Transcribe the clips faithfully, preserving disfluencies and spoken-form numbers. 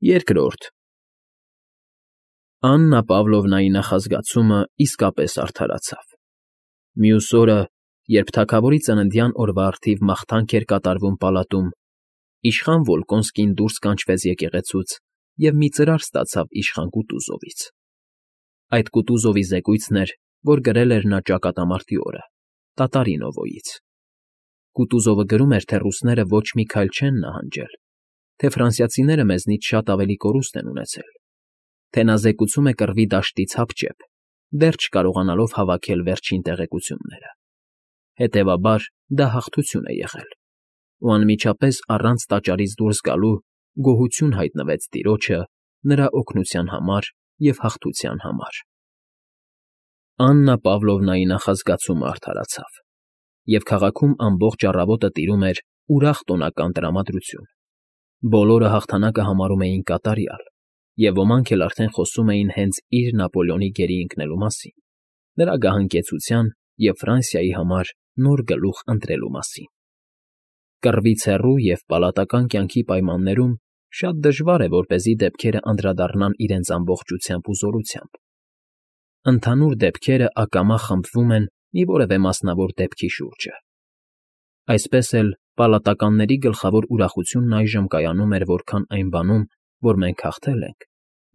Երկրորդ Աննա Պավլովնայի նախազգացումը իսկապես արդարացավ։ Մյուս օրը, երբ թագավորի ծննդյան օրվա առթիվ մաղթանք էր կատարվում պալատում, իշխան Վոլկոնսկին դուրս կանչվեց եկեղեցուց և մի ծրար ստացավ իշխան Կուտուզովից։ Այդ Կուտուզովի զեկույցն էր, որ գրել էր նա ճակատամարտի օրը, տատարի Նովոյից։ Կուտուզովը գրում էր, թե ռուսները ոչ մի քայլ չեն նահանջել, թե ֆրանսիացիները մեզնից շատ ավելի կորուստ են ունեցել, թե նա զեկուցում է կռվի դաշտից հապճեպ, դեռ չկարողանալով հավաքել վերջին տեղեկությունները։ Հետևաբար, դա հաղթություն է եղել, ու անմիջապես առանց տաճարից դուրս գալու գոհություն հայտնվեց տիրոջը նրա օգնության համար և հաղթության համար։ Աննա Պավլովնայի նախազգացումը արդարացավ, և քաղաքում ամբողջ առավոտը տիրում էր ուրախ տոնական տրամադրություն։ Բոլորը հաղթանակը համարում էին կատարյալ, և ոմանք էլ արդեն խոսում էին հենց իր Նապոլեոնի գերի ընկնելու մասին, նրա գահանկեցության և Ֆրանսիայի համար նոր գլուխ ընտրելու մասին։ Կռվից հեռու և պալատական կյանքի պայմաններում շատ դժվար է, որպեսզի դեպքերը անդրադառնան իրենց ամբողջությամբ ու զորությամբ։ Ընդհանուր դեպքերը ակամա խմբվում են մի որևէ մասնավոր դեպքի շուրջը։ Այսպես էլ պալատականների գլխավոր ուրախությունն այժմ կայանում էր որքան այն բանում, որ մենք հաղթել ենք,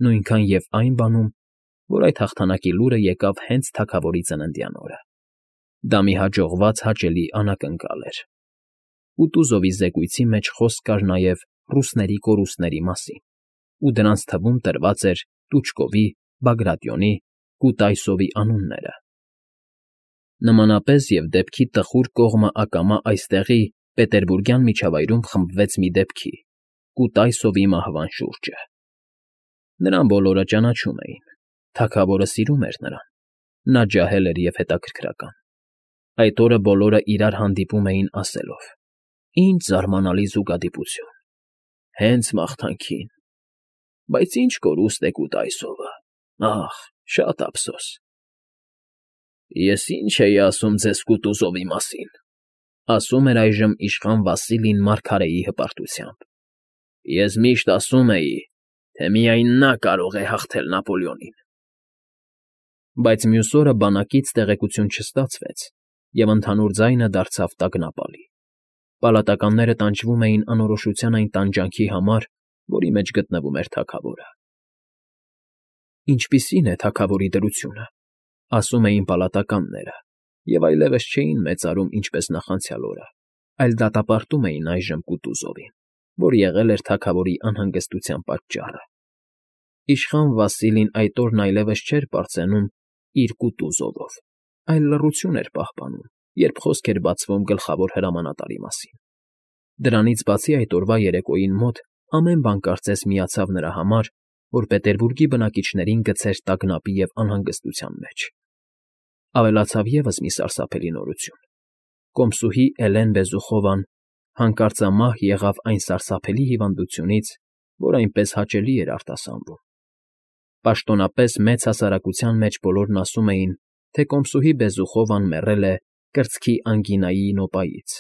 նույնքան և այն բանում, որ այդ հաղթանակի լուրը եկավ հենց թագավորի ծննդյան օրը։ Դա մի հաջողված հաճելի անակնկալ էր։ Կուտուզովի զեկույցի մեջ խոսք կար նաև ռուսների կորուստների մասին, ու դրանց թվում տրված էր Տուչկովի, Բագրատիոնի, Կուտայսովի անունները։ Նմանապես և դեպքի տխուր կողմը ակամա այստեղի պետերբուրգյան միջավայրում խմբվեց մի դեպքի՝ Կուտայսովի մահվան շուրջը։ Նրան բոլորը ճանաչում էին, թագավորը սիրում էր նրան, նա ջահել էր և հետաքրքրական։ Այդ օրը բոլորը իրար հանդիպում էին ասելով. «Ինչ զարմանալի զուգադիպություն, հենց մաղթանքին, բայց ինչ կորուստ է Կուտայսովը, ախ, շատ ափսոս»։ «Ես ինչ էի ասում ձեզ Կուտուզովի մասին,֊ ասում էր այժմ իշխան Վասիլին մարգարեի հպարտությամբ,֊ ես միշտ ասում էի, թե միայն նա կարող է հաղթել Նապոլեոնին»։ Բայց մյուս օրը բանակից տեղեկություն չստացվեց, և ընդհանուր ձայնը դարձավ տագնապալի։ Պալատականները տանջվում էին անորոշության այն տանջանքի համար, որի մեջ գտնվում էր թագավորը։ «Ինչպիսի՞ն է թագավորի դրությունը,֊ ասում էին պալատականները, և այլևս չէին մեծարում ինչպես նախանցյալ օրը, այլ դատապարտում էին այժմ Կուտուզովին, որ եղել էր թագավորի անհանգստության պատճառը։ Իշխան Վասիլին այդ օրն այլևս չէր պարծենում իր Կուտուզովով, այլ լռություն էր պահպանում, երբ խոսք էր բացվում գլխավոր հրամանատարի մասին։ Դրանից բացի այդ օրվա երեկոյին մոտ ամեն բան կարծես միացավ նրա համար, որ Պետերբուրգի բնակիչներին գցեր տագնապի և անհանգստության մեջ։ Ավելացավ ևս մի սարսափելի նորություն. կոմսուհի Էլեն Բեզուխովան հանկարծամահ եղավ այն սարսափելի հիվանդությունից, որ այնպես հաճելի էր արտասանվում։ Պաշտոնապես մեծ հասարակության մեջ բոլորն ասում էին, թե կոմսուհի Բեզուխովան մեռել է կրծքի անգինայի նոպայից,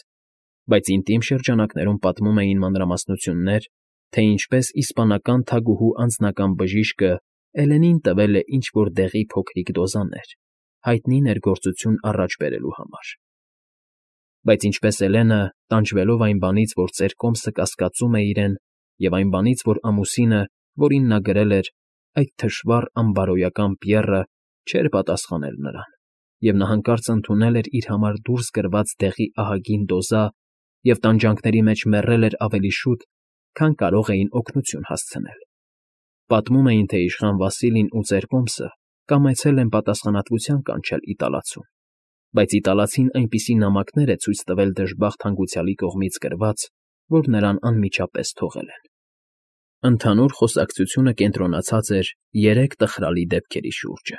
բայց ինտիմ շրջանակներում պատմում էին մանրամասնություններ, թե ինչպես իսպանական թագուհու անձնական բժիշկը Էլենին տվել է ինչ֊որ դեղի փոքրիկ դոզաներ, հայտնի ներգործություն առաջ բերելու համար։ Բայց ինչպես Էլենը, տանջվելով այն բանից, որ ծեր կոմսը կասկածում է իրեն, և այն բանից, որ ամուսինը, որին նա գրել էր, այդ թշվառ անբարոյական Պիեռը, չէր պատասխանել նրան, և նա հանկարծ ընդունել էր իր համար դուրս գրված դեղի ահագին դոզա և տանջանքների մեջ մեռել էր ավելի շուտ, քան կարող էին օգնություն հասցնել։ Պատմում էին, թե իշխան Վասիլին ու ծեր կոմսը կամեցել են պատասխանատվության կանչել իտալացուն, բայց իտալացին այնպիսի նամակներ է ցույց տվել դժբախտ հանգուցյալի կողմից գրված, որ նրան անմիջապես թողել են։ Ընդհանուր խոսակցությունը կենտրոնացած էր երեք տխրալի դեպքերի շուրջը.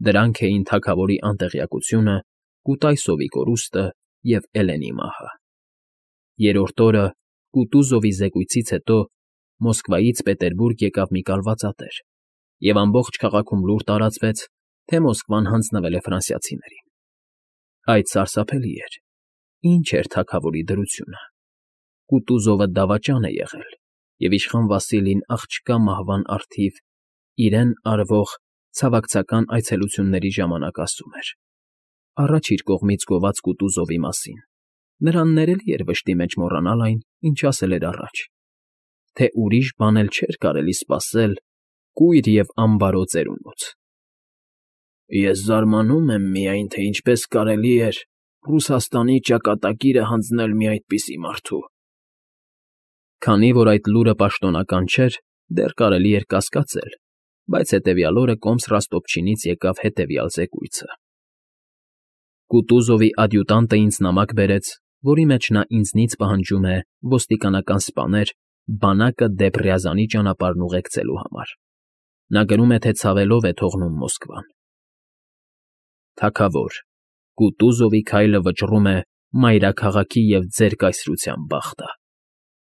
դրանք էին թագավորի անտեղյակությունը, Կուտայսովի կորուստը և Էլենի մահը։ Երրորդ օրը, Կուտուզովի զեկույցից հետո, Մոսկվայից Պետերբուրգ եկավ մի կալվածատեր, և ամբողջ քաղաքում լուր տարածվեց, թե Մոսկվան հանձնվել է ֆրանսիացիներին։ Այդ սարսափելի էր։ Ինչ էր թագավորի դրությունը։ Կուտուզովը դավաճան է եղել, և իշխան Վասիլին աղջկա մահվան առթիվ իրեն արվող ցավակցական այցելությունների ժամանակ ասում էր. «Առաջ իր կողմից գոված Կուտուզովի մասին, նրան ներելի էր վշտի մեջ մոռանալ այն, ինչ ասել էր առաջ, թե ուրիշ բան էլ չէր կարելի սպասել կույր և անբարո ծերունուց»։ «Ես զարմանում եմ միայն, թե ինչպես կարելի էր Ռուսաստանի ճակատագիրը հանձնել մի այդպիսի մարդու»։ Քանի որ այդ լուրը պաշտոնական չէր, դեռ կարելի էր կասկածել, բայց հետևյալ օրը կոմս Ռոստովչինից եկավ հետևյալ զեկույցը. «Կուտուզովի ադյուտանտը ինձ նամակ բերեց, որի մեջ նա ինձնից պահանջում է ոստիկանական սպաներ բանակը դեպ Ռյազանի ճանապարհն ուղեկցելու համար։ Նա գրում է, թե ցավելով է թողնում Մոսկվան։ Թագավոր, Կուտուզովի քայլը վճռում է մայրաքաղաքի և ձեր կայսրության բախտը։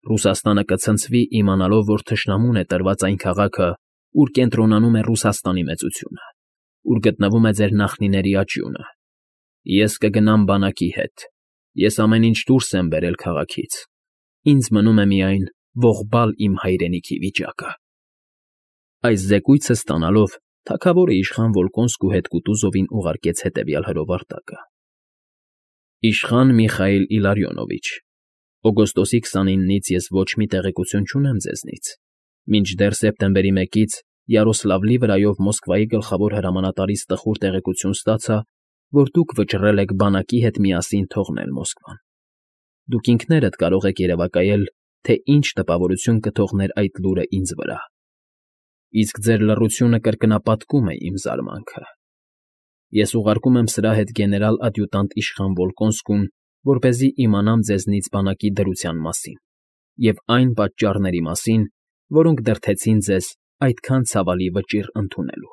Ռուսաստանը կցնցվի, իմանալով, որ թշնամուն է տրված այն քաղաքը, ուր կենտրոնանում է Ռուսաստանի մեծությունը, ուր գտնվում է ձեր նախնիների աճյունը։ Ես կգնամ բանակի հետ, ես ամեն ինչ դուրս եմ բերել քաղաքից, ինձ մնում է միայն ողբալ իմ հայրենիքի վիճակը»։ Այս զեկույցը ստանալով, թագավորը իշխան Վոլկոնսկու հետ Կուտուզովին ուղարկեց հետևյալ հրովարտակը. «Իշխան Միխայիլ Իլարյոնովիչ, օգոստոսի քսանինից ես ոչ մի տեղեկություն չունեմ ձեզնից, մինչդեռ սեպտեմբերի մեկից Յարոսլավլի վրայով Մոսկվայի գլխավոր հրամանատարից տխուր տեղեկություն ստացա, որ դուք վճռել եք բանակի հետ միասին թողնել Մոսկվան։ Դուք ինքներդ կարող եք երևակայել, թե ինչ տպավորություն կթողներ այդ լուրը ինձ վրա։ Իսկ ձեր լռությունը կրկնապատկում է իմ զարմանքը։ Ես ուղարկում եմ սրա հետ գեներալ֊ադյուտանտ իշխան Վոլկոնսկուն, որպեսզի իմանամ ձեզնից բանակի դրության մասին և այն պատճառների մասին, որոնք դրդեցին ձեզ այդքան ցավալի վճիռ ընդունելու»։